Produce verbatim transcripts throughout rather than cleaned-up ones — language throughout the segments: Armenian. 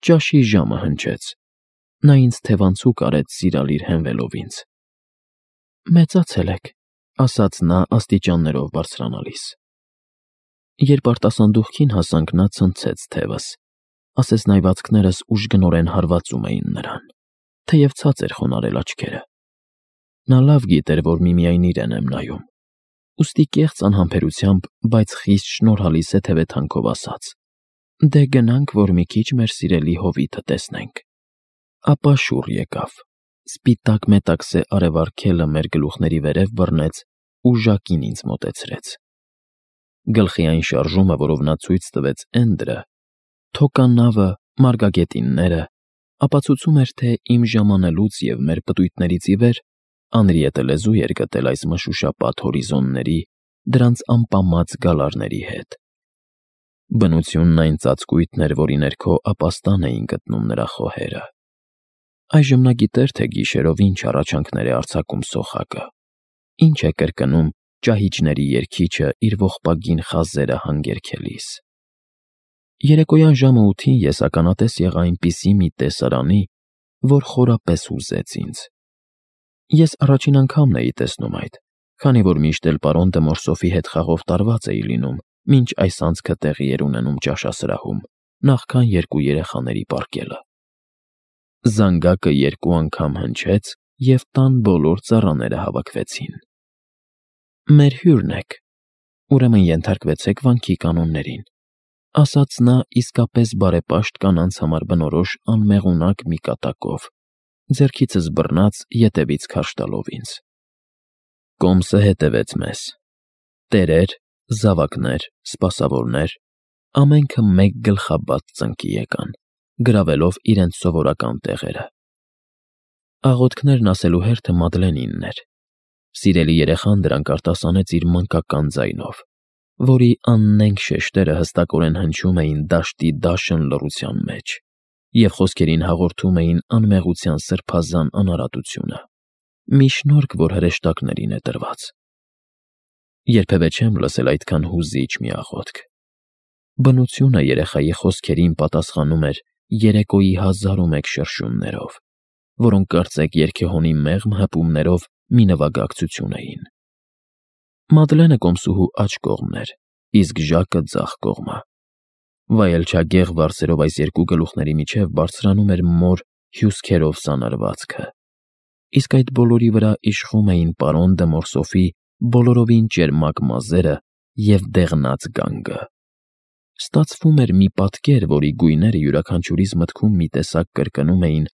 Ճաշի ժամը հնչեց։ Նա ինձ թևանցուկ արեց սիրալիր հենվելով ինձ։ «Մեծացել եք», ասաց նա աստիճաններով բարձրանալիս։ Երբ արտասանդուղքին հասանք, նա ցնցեց թևս, ասես նայվածքներս ուժգնորեն հարվածում էին նրան, թեև ցած էր խոնարհել աչքերը։ Նա լավ գիտեր, որ միմիայն իրեն եմ նայում, ուստի կեղծ անհամբերությամբ, բայց խիստ շնորհալի սեթևեթանքով ասաց. «Դե գնանք, որ մի քիչ մեր սիրելի հովիտը տեսնենք»։ Ապա շուռ եկավ, սպիտակ մետաքսե արևարգելը մեր գլուխների վերև բռնեց ու ժակին ինձ մոտեցրեց։ Գլխի այն շարժումը, որով նա ցույց տվեց Էնդրը, թոկանավը, մարգագետինները, ապացուցում էր, թե իմ ժամանելուց և մեր պտույտներից ի վեր Անրիետը լեզու էր գտել այս մշուշապատ հորիզոնների, դրանց ամպամած գալարների հետ։ Բնությունն այն ծածկույթն էր, որի ներքո ապաստան էին գտնում նրա խոհերը։ Այժմ նա գիտեր, թե գիշերով ինչ առաջանքներ է արձակում սոխակը, ինչ է կրկնում ճահիճների երգիչը իր ողբագին խազերը հանգերգելիս։ Երեկոյան ժամը ութին ես ականատես եղա այնպիսի մի տեսարանի, որ խորապես հուզեց ինձ։ Ես առաջին անգամն էի տեսնում այդ, քանի որ միշտ էլ պարոն դե Մորսոֆի հետ խաղով տարված էի լինում, մինչ այս անցքը տեղի էր ունենում ճաշասրահում, նախքան երկու երեխաների պառկելը։ Զանգակը երկու անգամ հնչեց, և տան բոլոր ծառաները հավաքվեցին։ «Մեր հյուրն եք, ուրեմն ենթարկվեցեք վանքի կանոններին», ասաց նա իսկապես բարեպաշտ կանանց համար բնորոշ անմեղունակ մի կատակով, ձեռքիցս բռնած ետևից քարշ տալով ինձ։ Կոմսը հետևեց մեզ։ Տերեր, զավակներ, սպասավորներ, ամենքը մեկ գլխաբաց ծնկի եկան, գրավելով իրենց սովորական տեղերը։ Աղոթքներն ասելու հերթը Մադլենինն էր։ Սիրելի երեխան դրանք արտասանեց իր մանկական ձայնով, որի աննենգ շեշտերը հստակորեն հնչում էին դաշտի դաշն լռության մեջ և խոսքերին հաղորդում էին անմեղության սրբազան անարատությունը, մի շնորհք, որ հրեշտակներին է տրված։ Երբևէ չեմ լսել այդքան հուզիչ մի աղոթք։ Բնությունը երեխայի խոսքերին պատասխանում էր երեկոյի հազարումեկ շրշյուններով, որոնք կարծեք երգեհոնի մեղմ հպումներով մի նվագակցություն էին։ Մադլենը կոմսուհու աջ կողմն էր, իսկ Ժակը ձախ կողմը։ Վայելչագեղ վարսերով այս երկու գլուխների միջև բարձրանում էր մոր հյուսքերով սանրվածքը, իսկ այդ բոլորի վրա իշխում էին պարոն դե Մորսոֆի բոլորովին ճերմակ մազերը և դեղնած գանգը։ Ստացվում էր մի պատկեր, որի գույները յուրաքանչյուրիս մտքում մի տեսակ կրկնում էին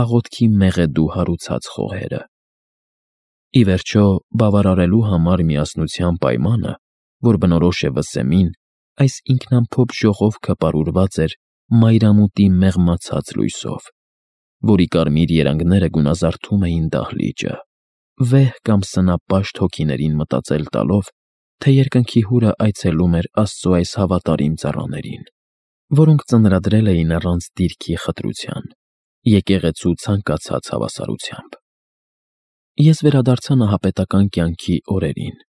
աղոթքի մեղեդու հարուցած խոհերը։ Ի վերջո, բավարարելու համար միասնության պայմանը, որ բնորոշ է վսեմին, այս ինքնամփոփ ժողովքը պարուրված էր մայրամուտի մեղմացած լույսով, որի կարմիր երանգները գունազարդում էին դահլիճը, վեհ կամ սնապաշտ հոգիներին մտածել տալով, թե երկնքի հուրը այցելում էր Աստծո այս հավատարիմ ծառաներին, որոնք ծնրադրել էին առանց դիրքի խտրության, եկեղեցու ցանկացած հավասարությամբ։ Ես վերադարձա նահապետական կյանքի օրերին,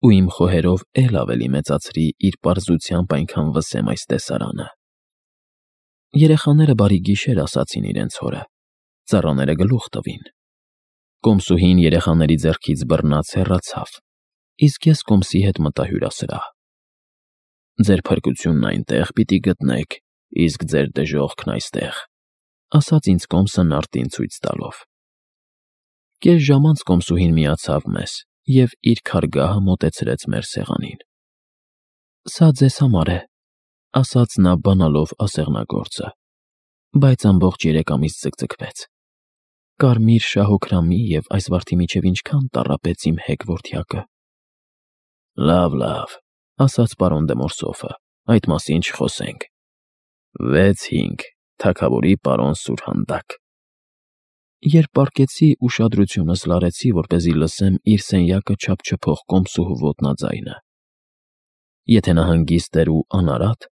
ու իմ խոհերով էլ ավելի մեծացրի իր պարզությամբ այնքան վսեմ այս տեսարանը։ Երեխաները բարի գիշեր ասացին իրենց հորը, ծառաները գլուխ տվին։ Կոմսուհին երեխաների ձեռքից բռնած հեռացավ, իսկ ես կոմսի հետ մտա հյուրասրահ։ «Ձեր փրկությունն այնտեղ պիտի գտնեք, իսկ ձեր դժոխքն այստեղ», ասաց ինձ կոմսը նարդին ցույց տալով։ Կես ժամ անց կոմսուհին միացավ մեզ և իր քարգահը մոտեցրեց մեր սեղանին։ «Սա ձեզ համար է», ասաց նա բանալով ասեղնագործը, բայց ամբողջ երեք ամիս ձգձգվեց։ Կարմիր շահոքրամի և այս վարդի միջև ինչքան տառապեց իմ հեգ որդյակը։ «Լավ, լավ», ասաց պարոն դե Մորսոֆը, «այդ մասին չխոսենք։ վեց հինգ, թագավորի պարոն Սուրհանդակ»։ Երբ պառկեցի, ուշադրությունս լարեցի, որպեսզի լսեմ իր սենյակը չափչփող կոմսուհու ոտնաձայնը։ Եթե նա հանգիստ էր ու անարատ,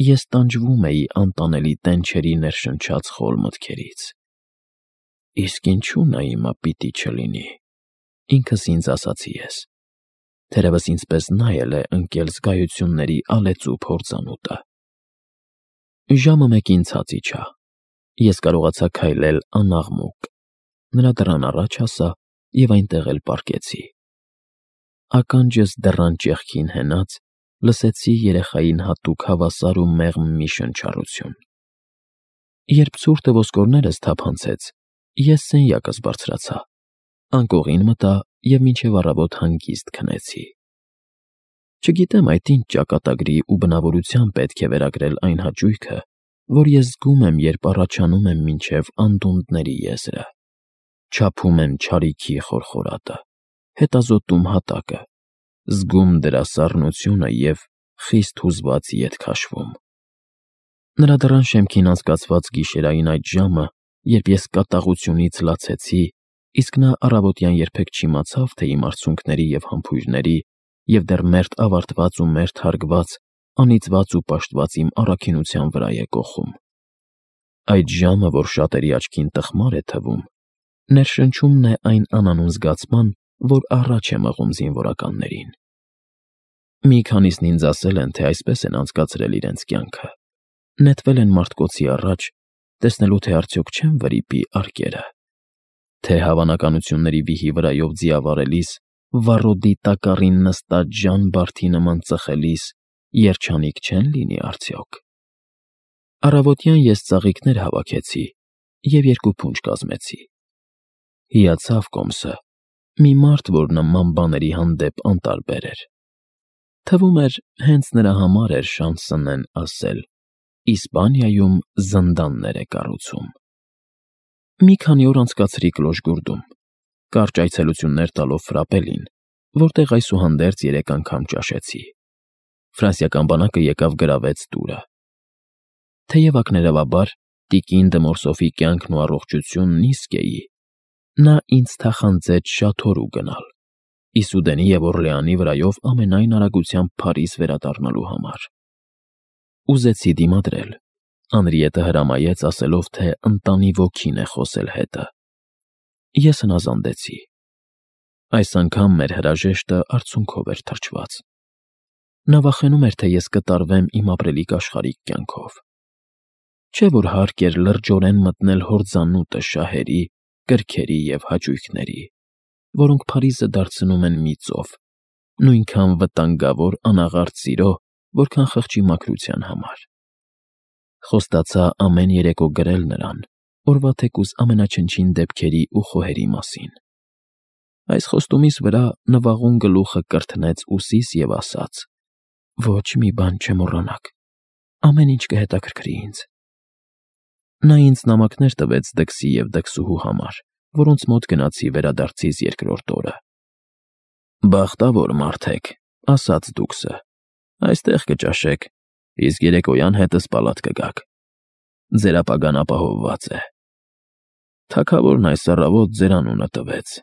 ես տանջվում էի անտանելի տենչերի ներշնչած խոր մտքերից։ «Իսկ ինչու նա հիմա պիտի չլինի», ինքս ինձ ասացի ես։ Թերևս ինձպես նա էլ է ընկել զգայությունների ալեցու փորձանուտը։ Ժամը մեկին ցած իջա, Ես կարողացա քայլել անաղմուկ։ Նրա դռան առաջ հասա և այնտեղ էլ պառկեցի։ Ականջս դռան ճեղքին հենած, լսեցի երեխային հատուկ հավասար ու մեղմ մի շնչառություն։ Երբ ցուրտը ոսկորներս թափանցեց, ես սենյակս բարձրացա, անկողին մտա և մինչև առավոտ հանգիստ քնեցի։ Չգիտեմ այդ ինչ ճակատագրի ու բնավորության պետք է վերագրել այն հաճույքը, որ ես զգում եմ, երբ առաջանում եմ մինչև անդունդների եզրը, չափում եմ չարիքի խորխորատը, հետազոտում հատակը, զգում դրա սառնությունը և խիստ հուզված ետ քաշվում։ Նրա դռան շեմքին անցկացված գիշերային այդ ժամը, երբ ես կատաղությունից լացեցի, իսկ նա առավոտյան երբեք չիմացավ, թե իմ արցունքների և համբույրների և դեռ մերթ ավարտված ու մերթ հարգված, անիծված ու պաշտված իմ առաքինության վրա է կոխում։ Այդ ժամը, որ շատերի աչքին տխմար է թվում, ներշնչումն է այն անանուն զգացման, որ առաջ է մղում զինվորականներին։ Մի քանիսն ինձ ասել են, թե այսպես են անցկացրել իրենց կյանքը, նետվել են մարտկոցի առաջ, տեսնելու, թե արդյոք չեն վրիպի արկերը, թե հավանականությունների վիհի վրայով ձիավարելիս, վառոդի տակառին նստած Ժան Բարդի նման ծխելիս, երջանիկ չեն լինի արդյոք։ Առավոտյան ես ծաղիկներ հավաքեցի և երկու փունջ կազմեցի։ Հիացավ կոմսը, մի մարդ, որ նման բաների հանդեպ անտարբեր էր։ Թվում էր, հենց նրա համար էր Շանսենեն ասել. «Իսպանիայում զնդաններ է կառուցում»։ Մի քանի օր անցկացրի Կլոշգուրդում, կարճ այցելություններ տալով Ֆրապելին, որտեղ այսուհանդերձ երեք անգամ ճաշեցի։ Ֆրանսիական բանակը եկավ գրավեց տուրը։ Թեև ակներևաբար տիկին դը Մորսոֆի կյանքն ու առողջությունն իսկ էի, նա ինձ թախանձեց շատ հեռու գնալ, Իսուդենի և Օրլեանի վրայով ամենայն արագությամբ Փարիզ վերադառնալու համար։ Ուզեցի դիմադրել, Անրիետը հրամայեց, ասելով, թե ընտանի ոգին է խոսել հետը։ Ես հնազանդեցի։ Այս անգամ մեր հրաժեշտը արցունքով էր թրջված։ Նա վախենում էր, թե ես կտարվեմ իմ ապրելիք աշխարհիկ կյանքով։ Չէ՞ որ հարկ էր լրջորեն մտնել հորձանուտը շահերի, կրքերի և հաճույքների, որոնք Փարիզը դարձնում են մի ծով, նույնքան վտանգավոր անաղարտ սիրո, որքան խղճի մաքրության համար։ Խոստացա ամեն երեկո գրել նրան, օրվա թեկուզ ամենաչնչին դեպքերի ու խոհերի մասին։ Այս խոստումիս վրա նվաղուն գլուխը կրթնեց ուսիս և ասաց. «Ոչ մի բան չմոռանաք, ամեն ինչ կհետաքրքրի ինձ»։ Նա ինձ նամակներ տվեց դքսի և դքսուհու համար, որոնց մոտ գնացի վերադարձիս երկրորդ օրը։ «Բախտավոր մարդ եք», ասաց դուքսը, «այստեղ կճաշեք, իսկ երեկոյան հետս պալատ կգաք։ Ձեր ապագան ապահովված է»։ Թագավորն այս առավոտ ձեր անունը տվեց։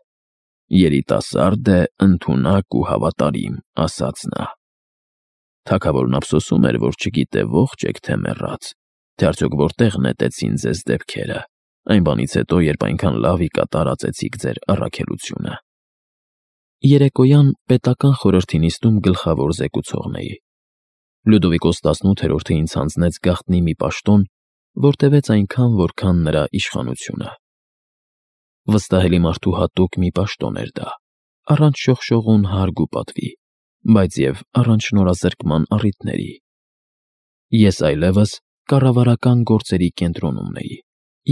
«Երիտասարդ է, ընդունակ ու հավատարիմ», ասաց նա։ Թագավորն ափսոսում էր, որ չգիտե ողջ եք, թե մեռած, թե արդյոք որտեղ նետեցին ձեզ դեպքերը, այն բանից հետո, երբ այնքան լավիկա տարածեցիք ձեր առաքելությունը։ Երեկոյան պետական խորհրդի նիստում գլխավոր զեկուցողն էի։ Լյուդովիկոս տասնութերորդը ինձ հանձնեց գաղտնի մի պաշտոն, որ տևեց այնքան, որքան նրա իշխանությունը։ Վստահելի մարդու հատուկ մի պաշտոն էր դա, առանց շողշողուն հարկ ու պատվի, բայց և առանց շնորհազրկման առիթների։ Ես այլևս կառավարական գործերի կենտրոնում էի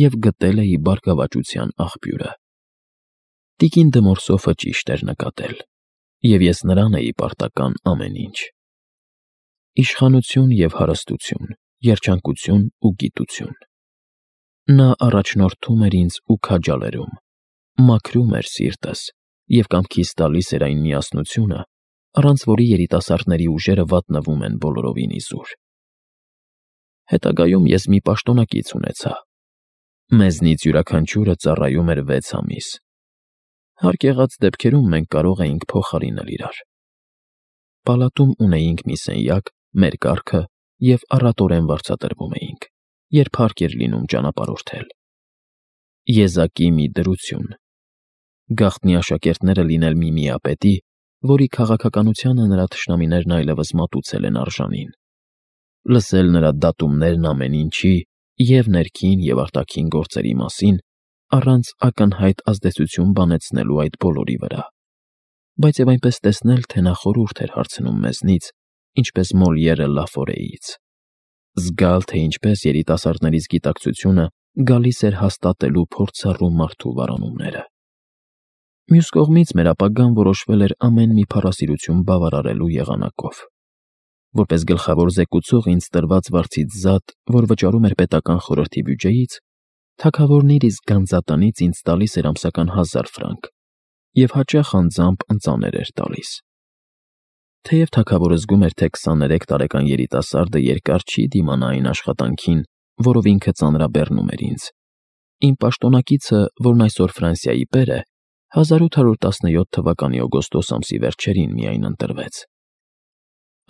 և գտել էի բարգավաճության աղբյուրը։ Տիկին դը Մորսոֆը ճիշտ էր նկատել, և ես նրան էի պարտական ամեն ինչ։ Իշխանություն և հարստություն, երջանկություն ու գիտություն։ Նա առաջնորդում էր ինձ ու քաջալերում, մաքրում էր սիրտս և կամքիս տալիս էր այն միասնությունը, առանց որի երիտասարդների ուժերը վատնվում են բոլորովին իզուր։ Հետագայում ես մի պաշտոնակից ունեցա։ Մեզնից յուրաքանչյուրը ծառայում էր վեց ամիս։ Հարկ եղած դեպքերում մենք կարող էինք փոխարինել իրար։ Պալատում ունեինք մի սենյակ, մեր կառքը և առատորեն վարձատրվում էինք, երբ հարկ էր լինում ճանապարհորդել։ Եզակի մի դրություն։ Գաղտնի աշակերտները լինել մի միապետի, որի քաղաքականությանը նրա թշնամիներն այլևս մատուցել են արժանին։ Լսել նրա դատումներն ամեն ինչի և ներքին և արտաքին գործերի մասին, առանց ակնհայտ ազդեցություն բանեցնելու այդ բոլորի վրա, բայց և այնպես տեսնել, թե նա խորհուրդ էր հարցնում մեզնից, ինչպես Մոլիերը Լաֆորեից, զգալ, թե ինչպես երիտասարդներից գիտակցությունը գալիս էր հաստատելու փորձառու մարդու վարանումները։ Մյուս կողմից մեր ապագան որոշվել էր ամեն մի փառասիրություն բավարարելու եղանակով։ Որպես գլխավոր զեկուցող ինձ տրված վարձից զատ, որ վճարում էր պետական խորհրդի բյուջեից, թագավորն իր իսկ գանձատնից ինձ տալիս էր ամսական հազար ֆրանկ և հաճախ անձամբ ընծաներ էր տալիս։ Թեև թագավորը զգում էր, թե քսաներեք տարեկան երիտասարդը երկար չի դիմանա այն աշխատանքին, որով ինքը ծանրաբեռնում էր ինձ, իմ պաշտոնակիցը, որն այսօր Ֆրանսիայի պեր է, հազար ութ հարյուր տասնյոթ թվականի օգոստոս ամսի վերջերին միայն ընտրվեց։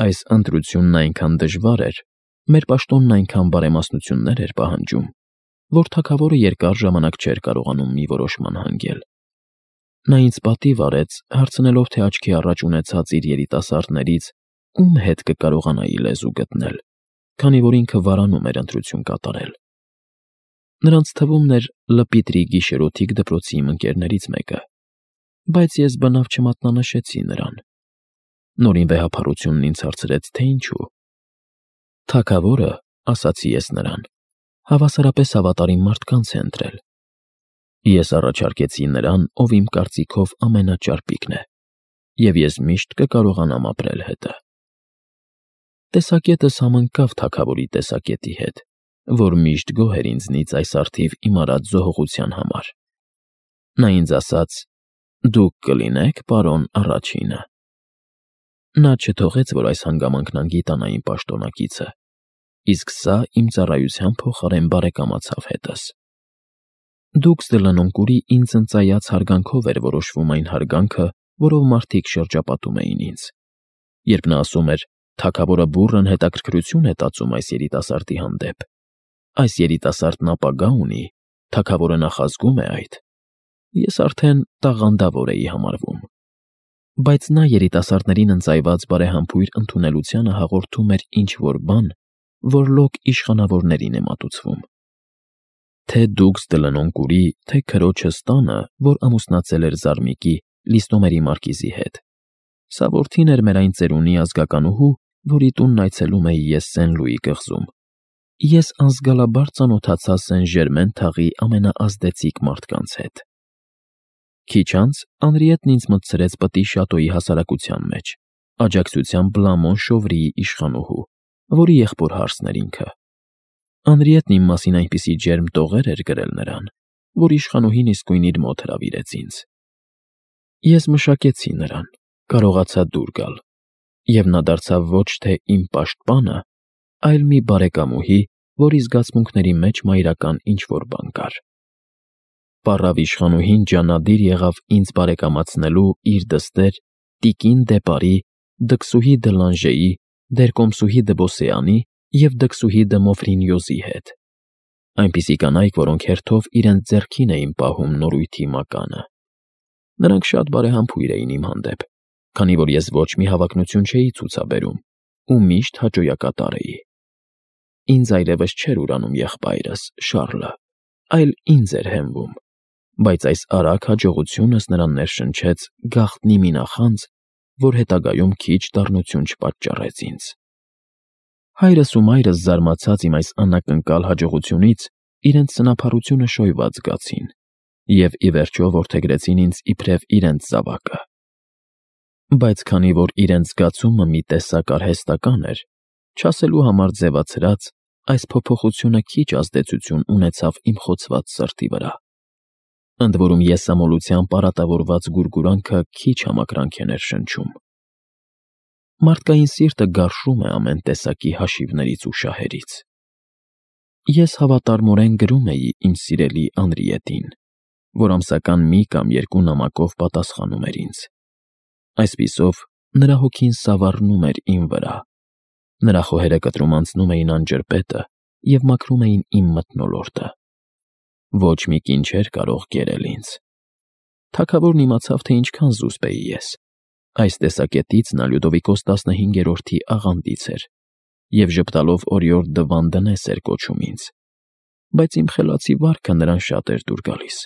Այս ընտրությունն այնքան դժվար էր, մեր պաշտոնն այնքան բարեմասնություններ էր պահանջում, որ թագավորը երկար ժամանակ չէր կարողանում մի որոշման հանգել։ Նա ինձ պատիվ արեց, հարցնելով, թե աչքի առաջ ունեցած իր երիտասարդներից ում հետ կկարողանայի լեզու գտնել, քանի որ ինքը վարանում էր ընտրություն կատարել։ Նրանց թվում էր Լպիտրի գիշերօթիկ դպրոցի իմ ընկերներից մեկը, բայց ես բնավ չմատնանշեցի նրան։ Նորին վեհափառությունն ինձ հարցրեց, թե ինչու։ Թագավորը, ասացի ես նրան, հավասարապես հավատարիմ մարդկանց է ընտրել։ Ես առաջարկեցի նրան, ով իմ կարծիքով ամենաճարպիկն է, և ես միշտ կկարողանամ ապրել հետը։ Տեսակետս համընկավ թագավորի տեսակետի հետ, որ միշտ գոհ էր ինձնից այս առթիվ իմ արած զոհողության համար։ Նա ինձ ասաց. «Դուք կլինեք պարոն առաջինը»։ Նա չթողեց, որ այս հանգամանքն անգիտանա իմ պաշտոնակիցը, իսկ սա իմ ծառայության փոխարեն բարեկամացավ հետս։ Դուքս Դլանոնկուրի ինձ ընծայած հարգանքով էր որոշվում այն հարգանքը, որով մարդիկ շրջապատում էին ինձ։ Երբ նա ասում էր. «Թագավորը բուռն հետաքրքրություն է տածում այս երիտասարդի հանդեպ, այս երիտասարդն ապագա ունի, թագավորը նախազգում է այդ», ես արդեն տաղանդավոր էի համարվում։ Բայց նա երիտասարդներին ընծայված բարեհամբույր ընդունելությանը հաղորդում էր ինչ-որ բան, որ լոկ իշխանավորներին է մատուցվում։ Թե դուքս Դլանոնկուրի, թե քրոջս տանը, որ ամուսնացել էր Զարմիկի, Լիստոմերի մարկիզի հետ։ Սա որդին էր մեր այն ծերունի ազգականուհու, որի տունն այցելում էի ես Սեն-Լուի կղզում։ Ես անզգալաբար ծանոթացա Սեն-Ժերմեն թաղի ամենաազդեցիկ մարդկանց հետ։ Քիչ անց Անրիետն ինձ մտցրեց պտի շատոյի հասարակության մեջ, աջակցությամբ Բլաման Շովրիի իշխանուհու, որի եղբոր հարսն էր ինքը։ Անրիետն իմ մասին այնպիսի ջերմ տողեր էր գրել նրան, որ իշխանուհին իսկույն իր մոտ հրավիրեց ինձ։ Ես մշակեցի նրան, կարողացա դուր գալ, և նա դարձավ ոչ թե իմ պաշտպանը, այլ մի բարեկամուհի, որի զգացմունքների մեջ մայրական ինչ-որ բան կար։ Պառավ իշխանուհին ջանադիր եղավ ինձ բարեկամացնելու իր դստեր տիկին դե Պարի, դքսուհի դը Լանժեի, դերկոմսուհի դը Բոսեանի և դքսուհի դը Մոֆրինյոզի հետ։ Այնպիսի կանայք, որոնք հերթով իրենց ձեռքին էին պահում նորույթի մականը։ Նրանք շատ բարեհամբույր էին իմ հանդեպ, քանի որ ես ոչ մի հավակնություն չէի ցուցաբերում ու միշտ հաճոյակատար էի։ Ինձ այլևս չէր ուրանում եղբայրս՝ Շառլը, այլ ինձ էր հենվում, բայց այս արագ հաջողությունս նրան ներշնչեց գաղտնի մի նախանձ, որ հետագայում քիչ դառնություն չպատճառեց ինձ։ Հայրս ու մայրս զարմացած իմ այս անակնկալ հաջողությունից, իրենց սնափառությունը շոյված զգացին և ի վերջո որդեգրեցին ինձ իբրև իրենց զավակը։ Բայց քանի որ իրենց զգացումը մի տեսակ արհեստական էր, չասելու համար ձևացրած, այս փոփոխությունը քիչ ազդեցություն ունեցավ իմ խոցված սրտի վրա։ Ընդ որում եսամոլությամբ արատավորված գուրգուրանքը քիչ համակրանք է ներշնչում։ Մարդկային սիրտը գարշում է ամեն տեսակի հաշիվներից ու շահերից։ Ես հավատարմորեն գրում էի իմ սիրելի Անրիետին, որ ամսական մի կամ երկու նամակով պատասխանում էր ինձ։ Այսպիսով, նրա հոգին սավառնում էր իմ վրա, նրա խոհերը կտրում անցնում էին անջրպետը և մաքրում էին իմ մթնոլորտը։ Ոչ մի կին չէր կարող կերել ինձ։ Թագավորն իմացավ, թե ինչքան զուսպ էի ես։ Այս տեսակետից նա Լյուդովիկոս տասնհինգերորդի աղանդից էր և ժպտալով օրիորդ դը Վանդնես էր կոչում ինձ։ բայց իմ խելացի վարքը նրան շատ էր դուր գալիս։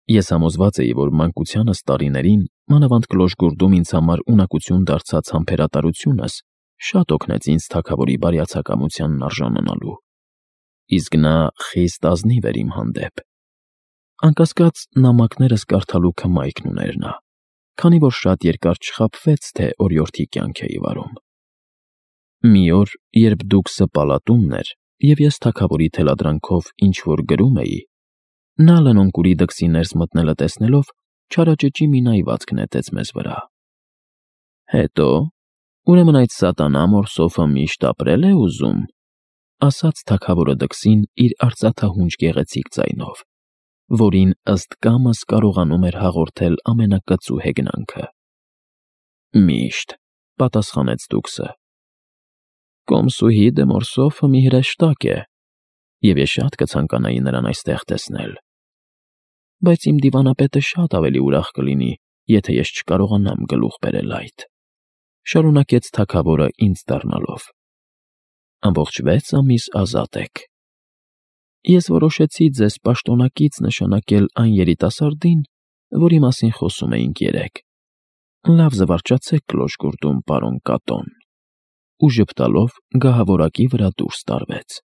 Ես համոզված էի, որ մանկությանս տարիներին, մանավանդ Կլոշգուրդում ինձ համար ունակություն դարձած համբերատարությունս շատ օգնեց ինձ թագավորի բարյացակամությանն արժանանալու, իսկ նա խիստ ազնիվ էր իմ հանդեպ։ Անկասկած, նամակներս կարդալու քմայքն ուներ նա, քանի որ շատ երկար չխաբվեց, թե օրիորդի կյանք էի վարում։ Մի օր, երբ դուք սպալատումն էր, և ես թագավորի թելադրանքով ինչ-որ գրում էի, նա լնոնկուրի դքսի ներս մտնելը տեսնելով, չարաճճի մի նայվածք նետեց մեզ վրա։ «Հետո՞, ուրեմն այդ սատանա Մորսոֆը միշտ ապրել է ուզում», ասաց թագավորը դքսին իր արծաթահունչ գեղեցիկ ձայնով, որին ըստ կամս կարողանում էր հաղորդել ամենակծու հեգնանքը։ «Միշտ», պատասխանեց դուքսը։ «Կոմսուհի դե Մորսոֆը մի հրեշտակ է, և ես շատ կցանկանայի նրան այստեղ տեսնել։ Բայց իմ դիվանապետը շատ ավելի ուրախ կլինի, եթե ես չկարողանամ գլուխ բերել այդ», շարունակեց թագավորը ինձ դառնալով։ «Ամբողջ վեց ամիս ազատ եք։ Ես որոշեցի ձեզ պաշտոնակից նշանակել այն երիտասարդին, որի մասին խոսում էինք երեկ։ Լավ զվարճացեք Կլոշգուրդում, պարոն Կատոն», ու ժպտալով գահավորակի վրա դուրս տարվեց։